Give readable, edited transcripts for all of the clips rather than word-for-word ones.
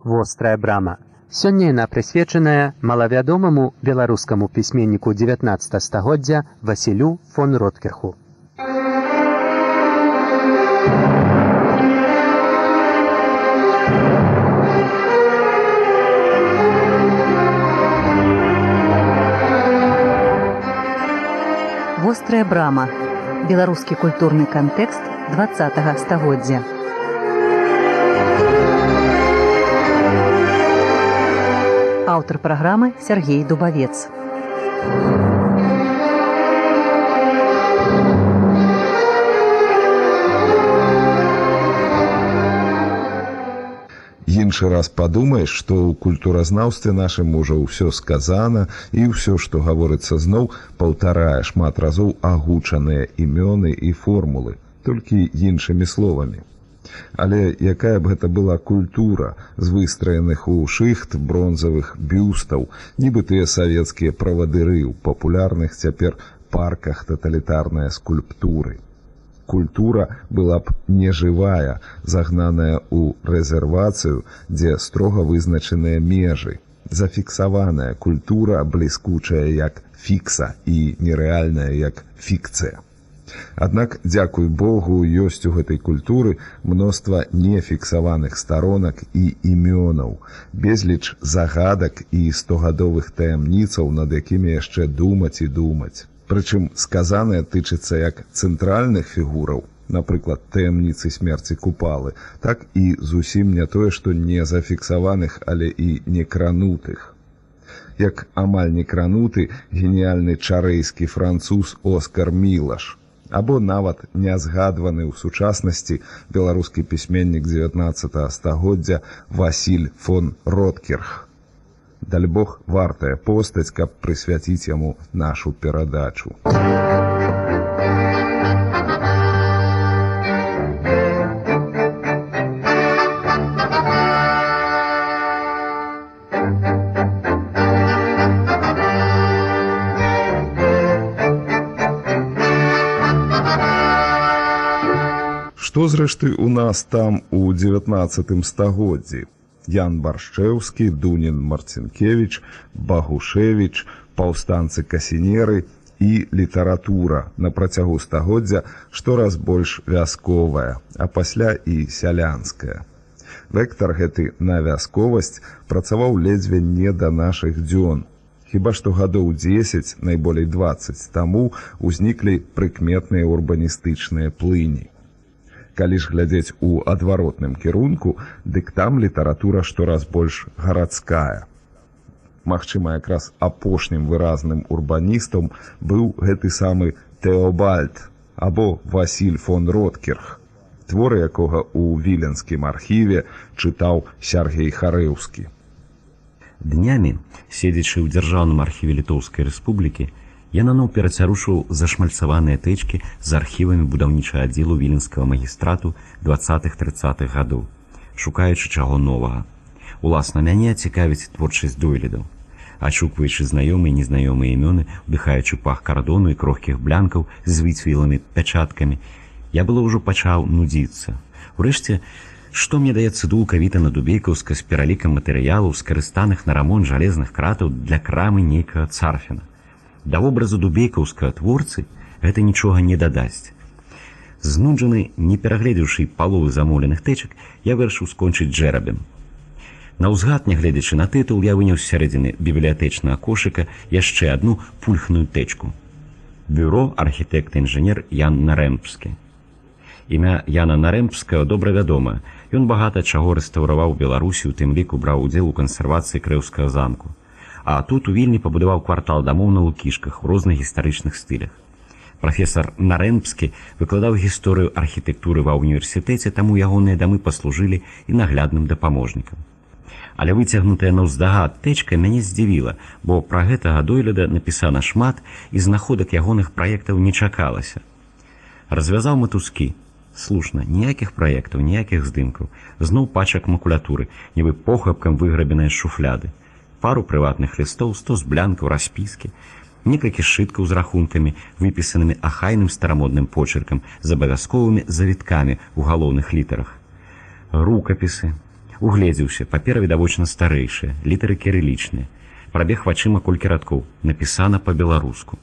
«Вострая брама». Сёння яна прысвечаная малавядомаму беларускаму пісьменніку 19 стагоддзя Васілю фон Роткірху. «Вострая брама» – беларускі культурны кантэкст 20-го стагоддзя. Аўтар праграмы Сергей Дубавец. Іншы раз падумаеш, што ў культуразнаўстве нашым ужо ўсё сказана, і ўсё, што гаворыцца зноў, паўтарае шмат разоў агучаныя імёны і формулы, толькі іншымі словамі. Але якая б гэта была культура з выстраеных у шыхт бронзавых бюстаў, нібы тыя савецкія правадыры ў папулярных цяпер парках таталітарныя скульптуры. Культура была б нежывая, загнаная ў рэзервацыю, дзе строга вызначаныя межы. Зафіксаваная культура, бліскучая як фікса і нерэальная як фікцыя. Аднак, дзякуй Богу, ёсць у гэтай культуры мноства нефіксаваных старонак і імёнаў, безліч загадак і стогадовых таямніцаў, над якімі яшчэ думаць і думаць. Прычым сказанае тычыцца як цэнтральных фігураў, напрыклад, таямніцы смерці Купалы, так і зусім не тое, што не зафіксаваных, але і некранутых. Як амаль некрануты геніяльны чарэйскі француз Оскар Мілаш, або нават нязгадваны ў сучаснасці беларускі пісьменнік 19 стагоддзя Васіль фон Роткірх. Даль Бог, вартая постаць, каб прысвяціць яму нашу перадачу. Што, зрэшты, у нас там у 19 стагоддзі? Ян Баршчэўскі, Дунін Марцінкевіч, Багушевіч, паўстанцы-касінеры і літаратура на працягу стагоддзя штораз больш вясковая, а пасля і сялянская. Вектар гэты на вясковасць працаваў ледзьве не да нашых дзён. Хіба што гадоў 10, найболей 20 таму узніклі прыкметныя урбаністычныя плыні. Калі ж глядзець у адваротным кірунку, дык там літаратура штораз больш гарадская. Магчыма, якраз апошнім выразным урбаністам быў гэты самы Тэобальд або Васіль фон Роткірх, творы якога ў віленскім архіве чытаў Сяргей Харэўскі. Днямі, седзячы ў дзяржаўным архіве Літоўскай рэспублікі, я наноў перацярушыў зашмальцаваныя тэчкі з архівамі будаўнічага аддзелу віленскага магістрату 20-30-х гадоў, шукаючы чаго новага. Уласна мяне цікавіць творчасць дойлідаў. Ачукваючы знаёмыя і незнаёмыя імёны, удыхаючы пах кардону і крохкіх блянкаў з выцвілымі пячаткамі, я было ўжо пачаў нудзіцца. Урэшце, што мне дае цыдулка Вітана Дубейкаўска з пералікам матэрыялаў, скарыстаных на рамонт жалезных кратаў для крамы нейкага царфіна? Да вобразу дубейкаўскага творцы гэта нічога не дадасць. Знуджаны, не перагледзеўшы паловы замоўленых тэчак, я вырашыў скончыць джэрабем. Наўзгад, нягледзячы на тытул, я выняў з сярэдзіны бібліятэчнага кошыка яшчэ адну пульхную тэчку. Бюро архітэкта-інжынер Ян Нарэмпскі. Імя Яна Нарэмпскага добра вядомае. Ён багата чаго рэстаўраваў Беларусі, у тым ліку браў удзел у кансервацыі Крэўскага замку. А тут у Вільні пабудаваў квартал дамоў на Лукішках у розных гістарычных стылях. Прафесар Нарэмпскі выкладаў гісторыю архітэктуры ва ўніверсітэце, таму ягоныя дамы паслужылі і наглядным дапаможнікам. Але выцягнутая наўздагад тэчка мяне здзівіла, бо пра гэтага дойліда напісана шмат, і знаходак ягоных праектаў не чакалася. Развязаў матузкі. Слушна, ніякіх праектаў, ніякіх здымкаў. Зноў пачак макулятуры, нібы похапкам выграбеныя з шуфляды. Пару прыватных лістоў, 100 блянкаў, распіскі, некалькі сшыткаў з рахункамі, выпісанымі ахайным старамодным почеркам з абавязковымі завіткамі ў галоўных літарах. Рукапісы, Угледзеўся, папера відавочна старэйшая, літары кірылічныя. Прабег вачыма колькі радкоў, напісана па-беларуску.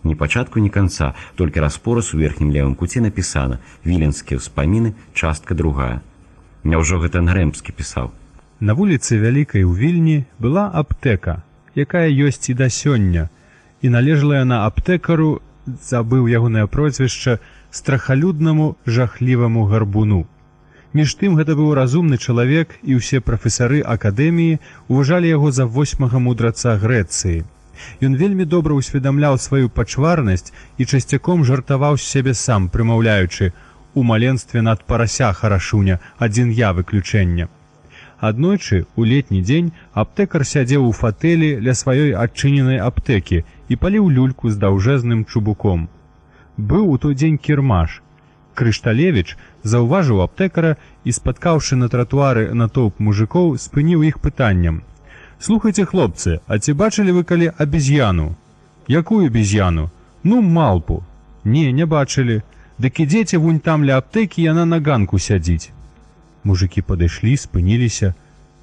Ні пачатку, ні канца, толькі распораз у верхнім левым куце напісана «Віленскія ўспаміны, частка 2». Няўжо гэта Нрэмскі пісаў? На вуліцы Вялікай у Вільні была аптэка, якая ёсць і да сёння, і належала яна аптэкару, забыў ягонае прозвішча, страхалюднаму жахліваму гарбуну. Між тым гэта быў разумны чалавек, і ўсе прафесары акадэміі уважалі яго за 8-га мудраца Грэцыі. Ён вельмі добра ўсведамляў сваю пачварнасць і часцяком жартаваў з сябе сам, прымаўляючы «У маленстве над парася харашуня, адзін я выключэння». Аднойчы, у летні дзень, аптэкар сядзеў у фатэлі ля сваёй адчыненай аптэкі і паліў люльку з даўжэзным чубуком. Быў у той дзень кірмаш. Крышталевіч заўважыў аптэкара і, спаткаўшы на тратуары натоўп мужикоў, спыніў іх пытаннем: «Слухайце, хлопцы, а ці бачылі вы калі абезьяну?» «Якую абезьяну?» «Ну, малпу». «Не, не бачылі. Дык ідзеце вунь там ля аптэкі, яна на ганку сядзіць». Мужыкі падышлі, спыніліся.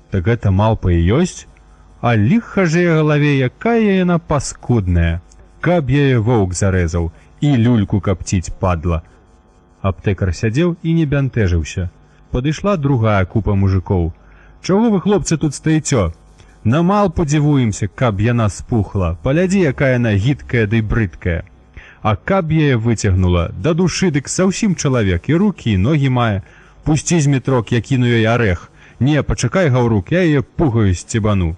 «Так гэта малпа і ёсць? А ліха ж яе галаве, якая яна паскудная! Каб яе воўк зарэзаў, і люльку капціць падла». Аптэкар сядзеў і не бянтэжыўся. Падышла другая купа мужикоў. «Чаго вы, хлопцы, тут стаіцё? На малпу дзівуемся, каб яна спухла. Палядзі, якая яна гідкая ды брыдкая. А каб яе выцягнула, да душы дык заўсім чалавек, і рукі, і ногі мае. Пусці з метрок, я кіну ёй арэх. Не, пачакай, гаўрук, я яе пугаю сцебану».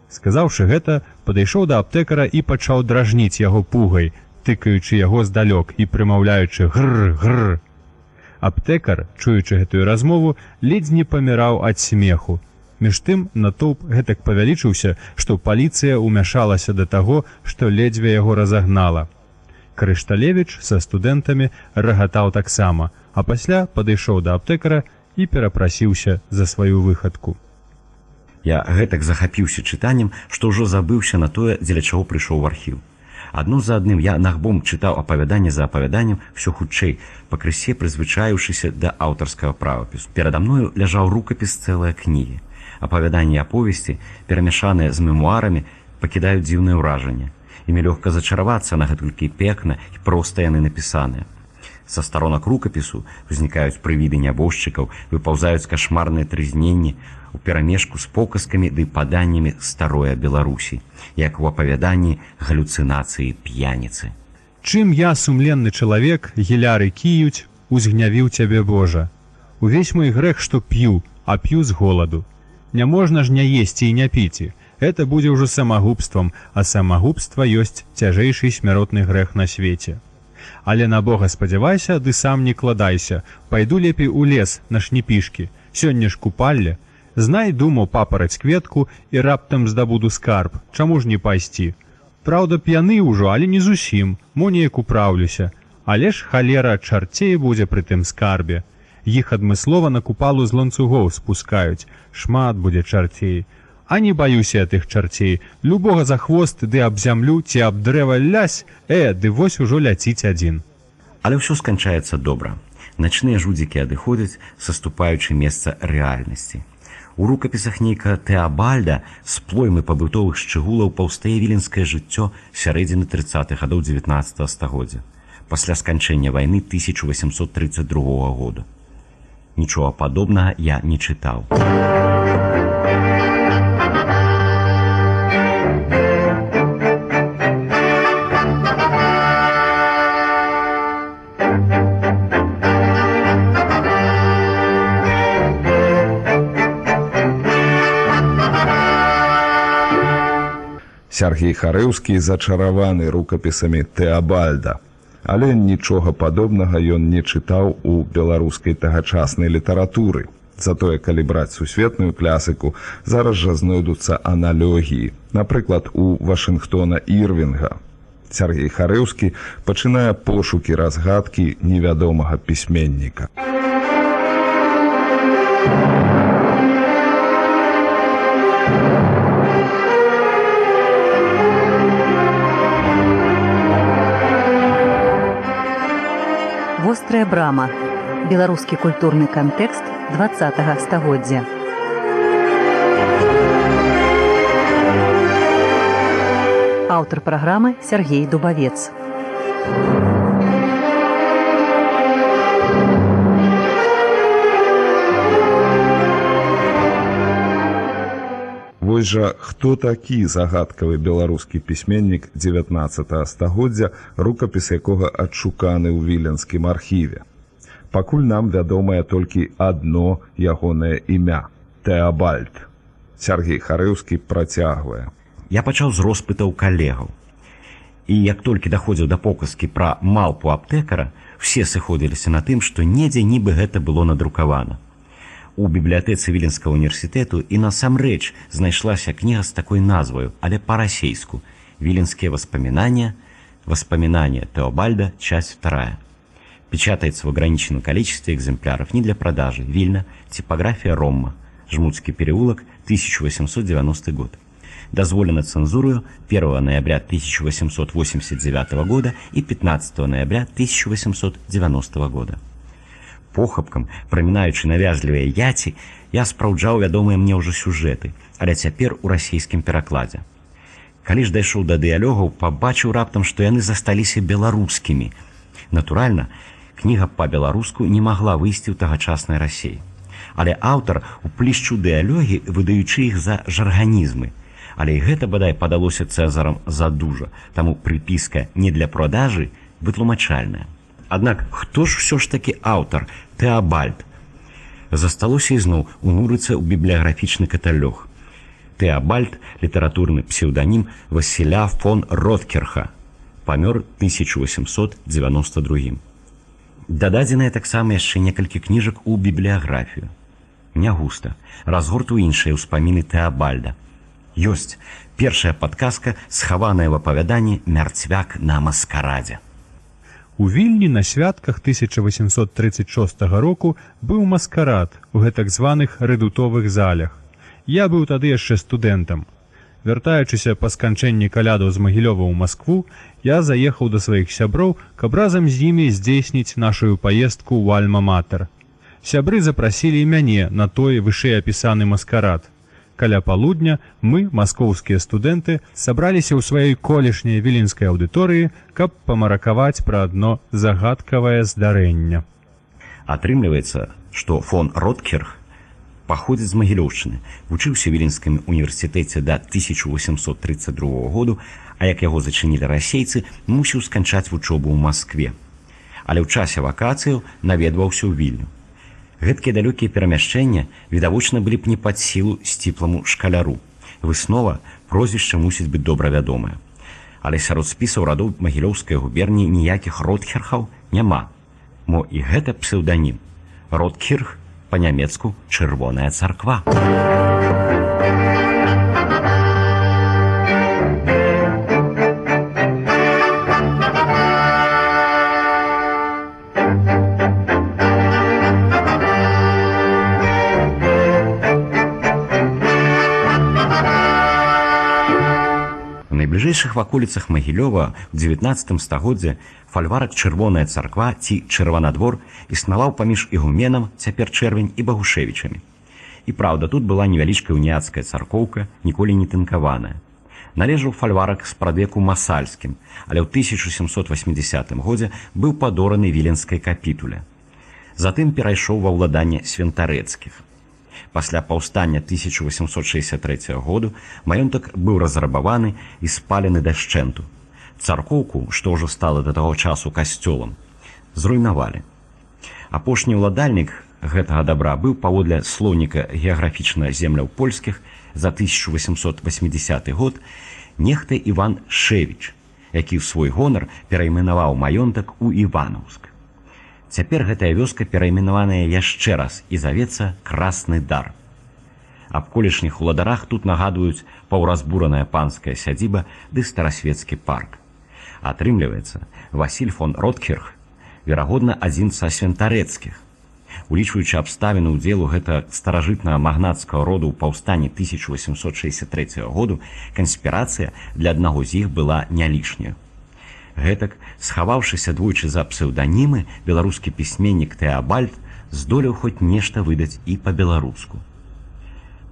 Сказаўшы гэта, падышоў да аптэкара і пачаў дражніць яго пугай, тыкаючы яго здалёк і прымаўляючы «гр-гр». Аптэкар, чуючы гэтую размову, ледзь не паміраў ад смеху. Між тым натоўп гэтак павялічыўся, што паліцыя ўмяшалася да таго, што ледзьве яго разагнала. Крышталевіч са студэнтамі рагатаў таксама, а пасля падышоў да аптэкара і перапрасіўся за сваю выхадку. Я гэтак захапіўся чытаннем, што ўжо забыўся на тое, дзеля чаго прыйшоў у архіў. Адно за адным я нагбом чытаў апавяданне за апавяданнем ўсё хутчэй, пакрысе прызвычаіўшыся да аўтарскага правапісу. Перада мною ляжаў рукапіс цэлай кнігі. Апавяданні і аповесці, перамяшаныя з мемуарамі, пакідаюць дзіўнае ўражанне. Імі лёгка зачаравацца на гэтулькі пекна і проста яны напісаныя. Са старонак рукапісу ўзнікаюць прывіды нябожчыкаў, выпаўзаюць кашмарныя трызненні у перамешку з показкамі ды паданнямі старой Беларусі, як у апавяданні галюцынацыі п'яніцы. «Чым я, сумленны чалавек, гіляры кіюць, узгнявіў цябе, Божа. Увесь мой грэх, што п'ю, а п'ю з голаду. Няможна ж не есці і не піці. Гэта будзе ўжо самагубствам, а самагубства ёсць цяжэйшы смяротны грэх на свеце. Але на Бога спадзявайся, ды сам не кладайся. Пайду лепей у лес на шніпішкі. Сёння ж купалле. Знай, думаў, папараць кветку і раптам здабуду скарб. Чаму ж не пайсці? Праўда, п'яны ўжо, але не зусім. Мо неяк управлюся. Але ж халера чарцей будзе пры тым скарбе. Іх адмыслова на купалу з ланцугоў спускаюць. Шмат будзе чарцей. А не баюся я тых чарцей. Любога за хвост ды аб зямлю ці аб дрэва лясь, ды вось ужо ляціць адзін». Але ўсё сканчаецца добра. Начныя жудзікі адыходзяць, саступаючы месца рэальнасці. У рукапісах нейка Тэабальда з плоймы пабытовых шчыгулаў паўстае віленскае жыццё сярэдзіны 30-х гадоў 19 стагоддзя, пасля сканчэння вайны 1832 года. Нічога падобнага я не чытаў. Сяргей Харэўскі зачараваны рукапісамі Тэабальда, але нічога падобнага ён не чытаў у беларускай тагачаснай літаратуры. Затое, калі браць сусветную класіку, зараз жа знойдуцца аналогіі, напрыклад, у Вашынгтона Ірвінга. Сяргей Харэўскі пачынае пошукі разгадкі невядомага пісьменніка. Вострая брама. Беларускі культурны кантэкст XX стагоддзя. Аўтар праграмы Сергей Дубавец. Вось жа хто такі загадкавы беларускі пісьменнік 19 стагоддзя, рукапіс якога адшуканы ў віленскім архіве. Пакуль нам вядомае толькі адно ягонае імя – Тэабальд. Сергей Харэўскі працягвае. Я пачаў з роспытаў калегаў. І як толькі даходзіў да показкі пра малпу аптэкара, все сыходзіліся на тым, што недзе нібы гэта было надрукавана. У бібліятэцы Віленскага універсітэту і насамрэч знайшлася кніга з такой назваю, але па-расейску «Виленские воспоминания. Воспоминания Теобальда. Часть 2». Печатается в ограниченном количестве экземпляров, не для продажи. Вильна. Типография Ромма. Жмутский переулок. 1890 год. Дозволено цензурою 1 ноября 1889 года и 15 ноября 1890 года. Похапкам, прамінаючы навязлівыя яці, я спраўджаў вядомыя мне ўжо сюжэты, але цяпер у расійскім перакладзе. Калі ж дайшоў да дыялогаў, пабачыў раптам, што яны засталіся беларускімі. Натуральна, кніга па-беларуску не магла выйсці ў тагачаснай Расіі. Але аўтар уплішчыў дыялогі, выдаючы іх за жарганізмы. Але і гэта, бадай, падалося Цэзарам задужа, таму прыпіска не для продажы вытлумачальная. Аднак, хто ж ўсё ж такі аўтар Тэабальд? Засталося ізноў унурыцца ў бібліяграфічны каталог. Тэабальд – літаратурны псеўданім Васіля фон Роткерха, памёр 1892. Дададзеныя таксама яшчэ некалькі кніжак у бібліяграфію. Не густа, разгорту іншыя ўспаміны Тэабальда. Ёсць першая падказка, схаваная в апавяданні «Мярцвяк на маскарадзе». У Вільні на святках 1836 року быў маскарад у гэтак званых рэдутовых залях. Я быў тады яшчэ студэнтам. Вяртаючыся па сканчэнні калядаў з Магілёва ў Маскву, я заехаў да сваіх сяброў, каб разам з імі здзейсніць нашу паездку ў Альма-Матэр. Сябры запрасілі мяне на той вышэйапісаны маскарад. Каля палудня мы, маскоўскія студэнты, сабраліся ў сваёй колішняй віленскай аўдыторыі, каб памаракаваць пра адно загадкавае здарэнне. Атрымліваецца, што фон Роткерх паходзіць з Магілёўшчыны, вучыўся ў Віленскім універсітэце да 1832 году, а як яго зачынілі расейцы, мусіў сканчаць вучобу ў Маскве. Але ў часе вакацыяў наведваўся ў Вільню. Гэткія далёкія перамяшчэння відавочна былі б не пад сілу сціпламу шкаляру. Выснова, прозвішча мусіць быць добра вядомае. Але сярод спісаў радоў Магілёўскай губерніі ніякіх Роткерхаў няма. Мо і гэта псеўданім. Роткірх па-нямецку «чырвоная царква». У найбліжэйшых ваколіцах Магілёва ў 19 стагоддзе фальварак «Чырвоная царква» ці «Чырванадвор» існаваў паміж ігуменам, цяпер Чэрвень, і Багушевічамі. І праўда, тут была невялічкая уніяцкая царкоўка, ніколі не тынкаваная. Належаў фальварак з прадвеку масальскім, але ў 1780 годзе быў падораны віленскай капітуле. Затым перайшоў ва ўладанне свентарэцкіх. Пасля паўстання 1863 году маёнтак быў разрабаваны і спалены дашчэнту. Царкоўку, што ўжо стала да таго часу касцёлам, зруйнавалі. Апошні ўладальнік гэтага дабра быў паводле слоўніка геаграфічна земляў польскіх за 1880 год нехта Іван Шэвіч, які ў свой гонар перайменаваў маёнтак у Іванаўск. Цяпер гэтая вёска перайменаваная яшчэ раз і завецца Красны Дар. Аб колішніх уладарах тут нагадваюць паўразбураная панская сядзіба ды старасвецкі парк. Атрымліваецца, Васіль фон Роткерх, верагодна, адзін са свентарэцкіх. Улічваючы абставіны ўдзелу гэта старажытнага магнацкага роду ў паўстанні 1863 году, канспірацыя для аднаго з іх была не лішняю. Гэтак, схаваўшыся двойчы за псеўданімы, беларускі пісьменнік Тэабальд здолеў хоць нешта выдаць і па-беларуску.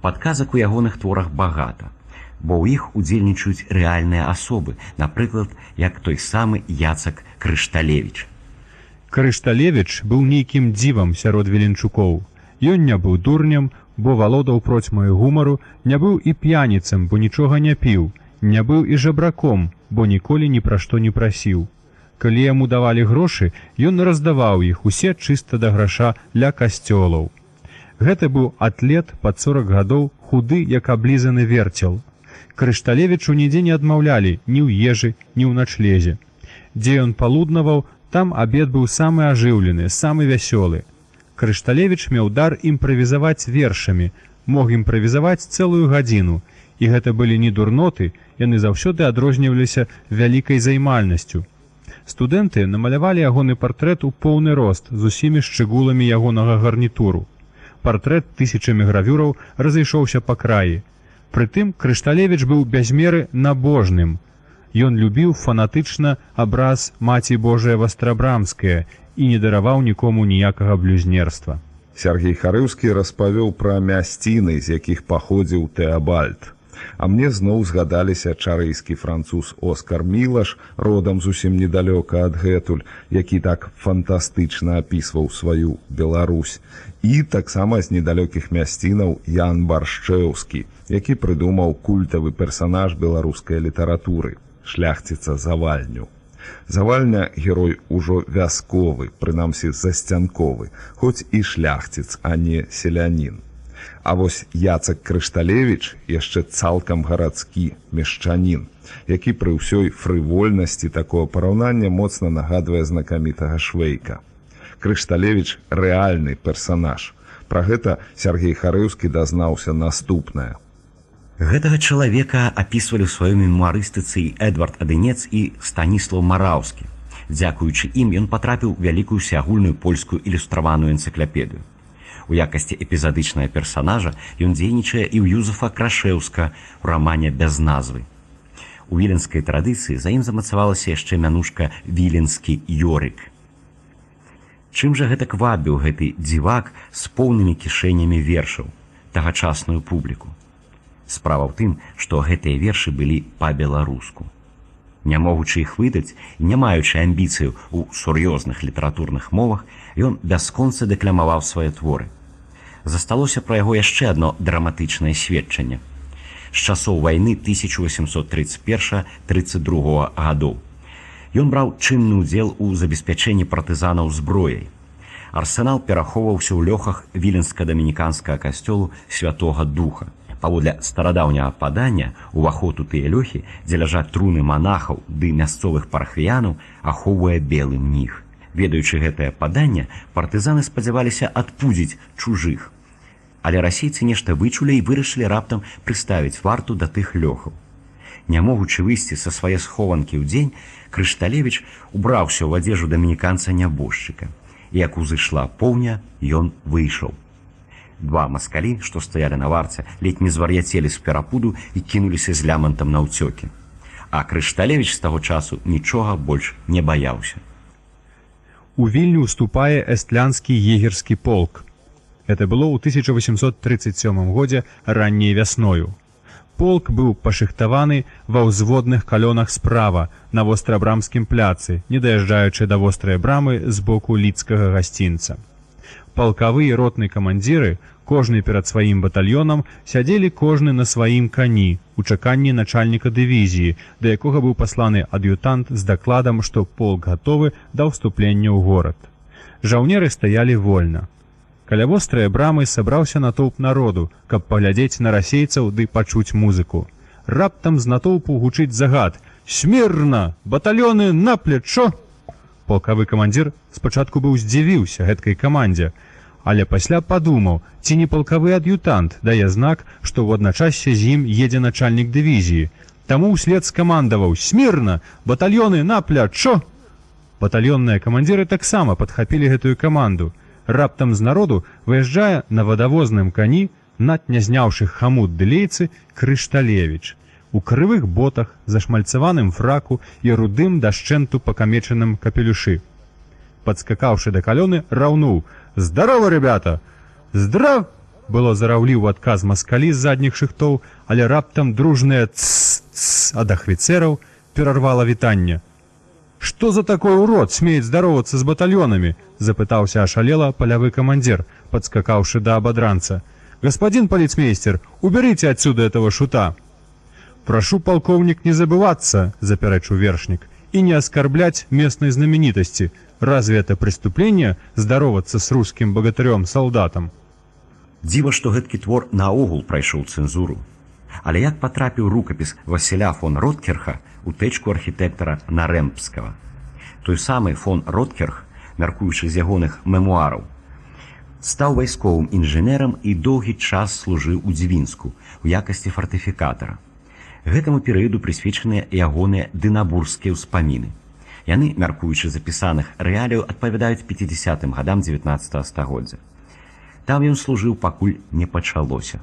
Падказак у ягоных творах багата, бо ў іх удзельнічаюць рэальныя асобы, напрыклад, як той самы Яцак Крышталевіч. Крышталевіч быў нейкім дзівам сярод віленчукоў. Ён не быў дурнем, бо валодаў процьмаю гумару, не быў і п'яніцам, бо нічога не піў, не быў і жабраком, бо ніколі ні пра што не прасіў. Калі яму давалі грошы, ён раздаваў іх усе чыста да граша ля касцёлаў. Гэта быў атлет пад 40 гадоў, худы, як аблізаны верцел. Крышталевічу нідзе не адмаўлялі ні ў ежы, ні ў начлезе. Дзе ён палуднаваў, там абед быў самы ажыўлены, самы вясёлы. Крышталевіч меў дар імправізаваць вершамі, мог імправізаваць цэлую гадзіну, і гэта былі не дурноты, яны заўсёды адрозніваліся вялікай займальнасцю. Студэнты намалявалі ягоны партрэт у поўны рост з усімі шчыгуламі ягонага гарнітуру. Партрэт тысячамі гравюраў разышоўся па краі. Прытым Крышталевіч быў бязмеры набожным. Ён любіў фанатычна абраз Маці Божая Вастрабрамская і не дараваў нікому ніякага блюзнерства. Сергей Харыўскі распавёў пра мясціны, з якіх паходзіў Тэабальд. А мне зноў згадаліся чарэйскі француз Оскар Мілаш, родам зусім недалёка адгэтуль, які так фантастычна апісваў сваю Беларусь. І таксама з недалёкіх мясцінаў Ян Баршчэўскі, які прыдумаў культавы персанаж беларускай літаратуры – шляхціца Завальню. Завальня герой ужо вясковы, прынамсі засцянковы, хоць і шляхціц, а не селянін. А вось Яцак Крышталевіч яшчэ цалкам гарадскі мешчанін, які пры ўсёй фрывольнасці такого параўнання моцна нагадвае знакамітага Швейка. Крышталевіч – рэальны персанаж. Пра гэта Сергей Харыўскі дазнаўся наступнае. Гэтага чалавека апісвалі ў сваёй мемуарыстыцы і Эдвард Адынец і Станіслаў Мараўскі. Дзякуючы ім ён патрапіў у вялікую усеагульную польскую ілюстраваную энцыклапедыю. У якасці эпізадычнага персанажа ён дзейнічае і ў Юзефа Крашэўска ў рамане «Без назвы». У віленскай традыцыі за ім замацавалася яшчэ мянушка «Віленскі Йорык». Чым жа гэтак вабіў гэты дзівак з поўнымі кішэнямі вершаў тагачасную публіку? Справа ў тым, што гэтыя вершы былі па-беларуску. Не могучы іх выдаць і не маючы амбіцыяў у сур'ёзных літаратурных мовах, ён бясконца дэкламаваў свае творы. Засталося пра яго яшчэ адно драматычнае сведчанне. З часоў вайны 1831-32 гадоў. Ён браў чынны ўдзел у забеспячэнні партызанаў зброяй. Арсенал перахоўваўся ў лёхах віленска-дамініканскага касцёлу Святога Духа. Паводле старадаўняга падання, уваход у тыя лёхі, дзе ляжаць труны манахаў ды мясцовых парахвіянаў, ахоўвае белы мніх. Ведаючы гэтае паданне, партызаны спадзяваліся адпудзіць чужых. Але расейцы нешта вычулі і вырашылі раптам прыставіць варту да тых лёхаў. Не могучы выйсці са свае схованкі ў дзень, Крышталевіч убраўся ў адзежу дамініканца-нябожчыка. І як узышла поўня, ён выйшаў. Два маскалі, што стаялі на варце, ледь не звар'яцелі з перапуду і кінуліся з лямантам на ўцёкі. А Крышталевіч з таго часу нічога больш не баяўся. У Вільню ўступае эстлянскі егерскі полк. Это было ў 1837 годзе ранняй вясною. Полк быў пашыхтаваны ва ўзводных калёнах справа на вострабрамскім пляцы, не даязджаючы да вострай брамы з боку лідскага гасцінца. Палкавы і ротны камандзіры, кожны перад сваім батальёнам, сядзелі кожны на сваім кані у чаканні начальніка дывізіі, да якога быў пасланы ад'ютант з дакладам, што полк гатовы да ўступлення ў горад. Жаўнеры стаялі вольна. Каля вострай брамы сабраўся натоўп народу, каб паглядзець на расейцаў ды пачуць музыку. Раптам з натоўпу гучыць загад: «Смірна! Батальёны на плечо!» Палкавы камандзір спачатку быў здзівіўся гэткай камандзе, але пасля падумаў, ці не палкавы ад'ютант дае знак, што ў адначассе з ім едзе начальнік дывізіі. Таму ўслед скамандаваў: «Смірна! Батальёны на плячо!» Батальённыя камандзіры таксама падхапілі гэтую каманду. Раптам з народу выязджае на вадавозным кані, над не зняўшы хамут ды лейцы, Крышталевіч. У крывых ботах, зашмальцаваным фраку і рудым дашчэнту пакамечаным капелюшы. падскакаўшы да калёны, раўнуў: «Здарова, ребята!» «Здрав!» было зараўлі ў адказ маскалі з задніх шыхтоў, але раптам дружнае «ц-ц» ад ахвіцэраў перарвала вітанне. «Што за такой урод смеет здаровацца з батальёнамі?» запытаўся ашалела палявы камандзір, падскакаўшы да абадранца. «Господин полицмейстер, уберите отсюда этого шута!» «Прошу, полковник, не забываться, — запярэчыў вершник, — и не оскорблять местной знаменитости. Разве это преступление — здороваться с русским богатырем-солдатом?» Дзіва, што гэткі твор наогул прайшоў цэнзуру. Але як патрапіў рукапіс Васіля фон Роткерха у тэчку архітэктара Нарэмбскага? Той самы фон Роткерх, мяркуючы з ягоных мемуараў, стаў вайсковым інжынерам і доўгі час служыў у Дзвінску у якасці фартыфікатара. Гэтаму перыяду прысвечаныя ягоныя дынабургскія ўспаміны. Яны, мяркуючы запісаных рэаліяў, адпавядаюць 50-м гадам 19 стагоддзя. Там ён служыў, пакуль не пачалося.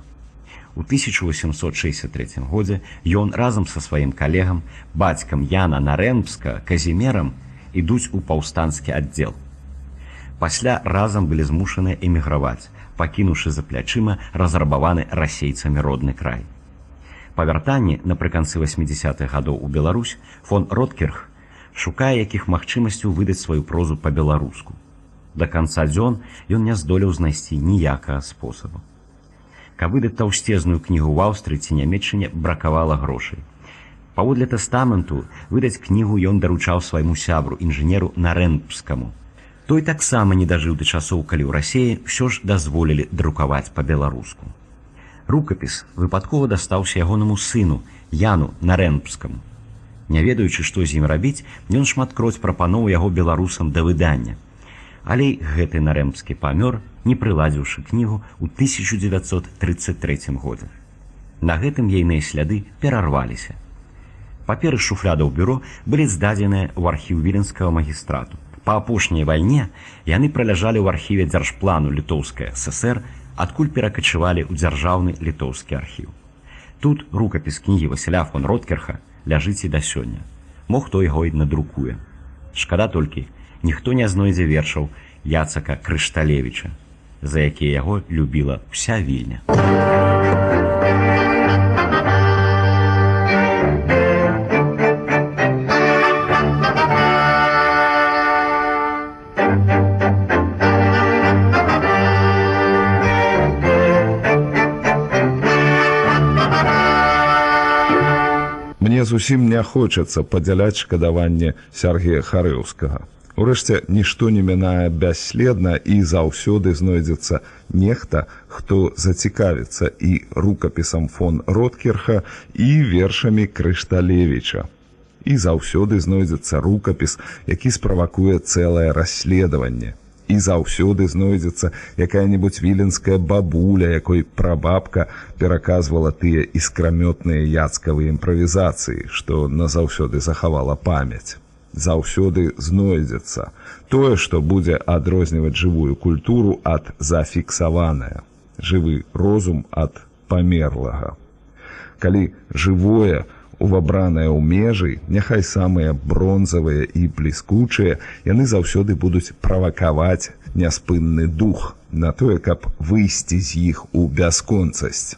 У 1863 годзе ён разам са сваім калегам, бацькам Яна Нарэмбска, Казімерам, ідуць у паўстанскі аддзел. Пасля разам былі змушаныя эміграваць, пакінуўшы за плячыма разрабаваны расейцамі родны край. Па вяртанні напрыканцы 80-х гадоў у Беларусь фон Роткерх шукае якіх магчымасцяў выдаць сваю прозу па-беларуску. Да канца дзён ён не здолеў знайсці ніякага спосабу. Каб выдаць таўсцезную кнігу ў Аўстрыі ці Нямецчыне, бракавала грошай. Паводле тэстаменту выдаць кнігу ён даручаў свайму сябру, інжынеру Нарэмбскаму. Той таксама не дажыў да часоў, калі ў Расіі ўсё ж дазволілі друкаваць па-беларуску. Рукапіс выпадкова дастаўся ягонаму сыну, Яну Нарэмбскаму. Не ведаючы, што з ім рабіць, ён шматкроць прапаноўваў яго беларусам да выдання. Але гэты Нарэмбскі памёр, не прыладзіўшы кнігу ў 1933 годзе. На гэтым ейныя сляды перарваліся. Паперы з шуфлядаў бюро былі здадзеныя ў архіў віленскага магістрату. Па апошняй вайне яны праляжалі ў архіве дзяржплану Літоўскай ССР, адкуль перакачывалі ў дзяржаўны літоўскі архіў. Тут рукапіс кнігі Васіля фон Роткерха ляжыць і да сёння. Мо хто яго і надрукуе. Шкада толькі, ніхто не знойдзе вершаў Яцака Крышталевіча, за якія яго любіла ўся Вільня. Мне зусім не хочацца падзяляць шкадаванне Сяргея Харэўскага. Урэшце, нішто не мінае бясследна, і заўсёды знойдзецца нехта, хто зацікавіцца і рукапісам фон Роткерха, і вершамі Крышталевіча. І заўсёды знойдзецца рукапіс, які справакуе цэлае расследаванне. І заўсёды знойдзецца якая-небудзь віленская бабуля, якой прабабка пераказвала тыя іскрамётныя яцкавыя імправізацыі, што назаўсёды захавала памяць. Заўсёды знойдзецца тое, што будзе адрозніваць жывую культуру ад зафіксаванае, жывы розум ад памерлага. Калі жывое увабранае ў межы, няхай самыя бронзавыя і бліскучыя, яны заўсёды будуць правакаваць няспынны дух на тое, каб выйсці з іх у бясконцасць.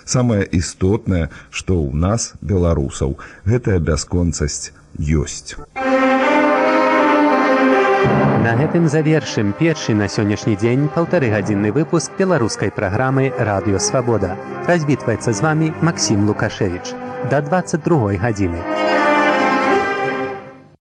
Самае істотнае, што ў нас, беларусаў, гэтая бясконцасць ёсць. На гэтым завершым першы на сённяшні дзень 1,5-гадзінны выпуск беларускай праграмы «Радыё Свабода». Развітваецца з вамі Максім Лукашевіч. До 22 гадзіны.